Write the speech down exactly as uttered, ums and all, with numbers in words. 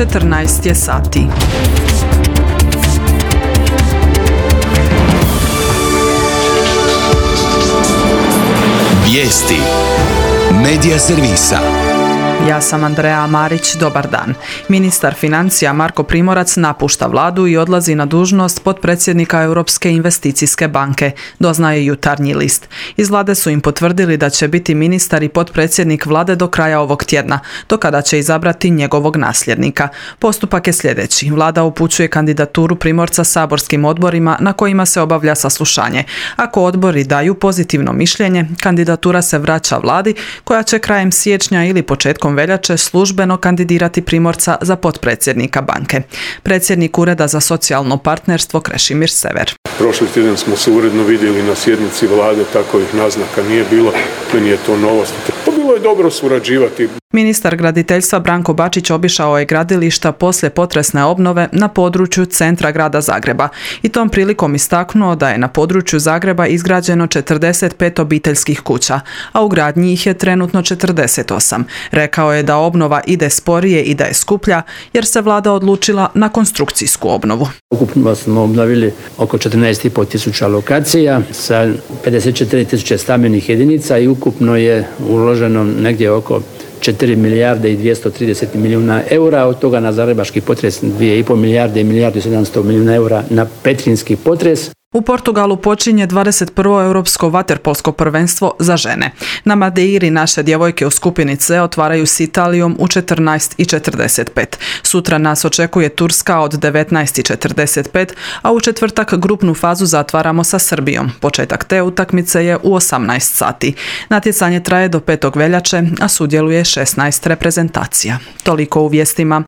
četrnaest je sati. Vijesti Medija servisa. Ja sam Andreja Marić, dobar dan. Ministar financija Marko Primorac napušta vladu i odlazi na dužnost potpredsjednika Europske investicijske banke, doznaje Jutarnji list. Iz vlade su im potvrdili da će biti ministar i potpredsjednik vlade do kraja ovog tjedna, do kada će izabrati njegovog nasljednika. Postupak je sljedeći. Vlada upućuje kandidaturu Primorca saborskim odborima na kojima se obavlja saslušanje. Ako odbori daju pozitivno mišljenje, kandidatura se vraća vladi koja će krajem siječnja ili početkom veljače službeno kandidirati Primorca za potpredsjednika banke. Predsjednik Ureda za socijalno partnerstvo Krešimir Sever. Prošli tjedan smo se uredno vidjeli na sjednici vlade, takovih naznaka nije bilo, meni je to novost. Pa bilo je dobro surađivati. Ministar graditeljstva Branko Bačić obišao je gradilišta poslije potresne obnove na području centra grada Zagreba i tom prilikom istaknuo da je na području Zagreba izgrađeno četrdeset pet obiteljskih kuća, a u gradnji ih je trenutno četrdeset osam. Rekao je da obnova ide sporije i da je skuplja jer se vlada odlučila na konstrukcijsku obnovu. Ukupno smo obnovili oko četrnaest i pol tisuća lokacija sa pedeset četiri tisuće stambenih jedinica i ukupno je uloženo negdje oko četiri milijarde i dvjesto trideset milijuna eura, od toga na zagrebački potres dvije i pol milijarde i milijardu i sedamsto milijuna eura na petrinjski potres. U Portugalu počinje dvadeset prvo europsko vaterpolsko prvenstvo za žene. Na Madeiri naše djevojke u skupini C otvaraju s Italijom u četrnaest i četrdeset pet. Sutra nas očekuje Turska od devetnaest i četrdeset pet, a u četvrtak grupnu fazu zatvaramo sa Srbijom. Početak te utakmice je u osamnaest sati. Natjecanje traje do petog veljače, a sudjeluje šesnaest reprezentacija. Toliko u vijestima.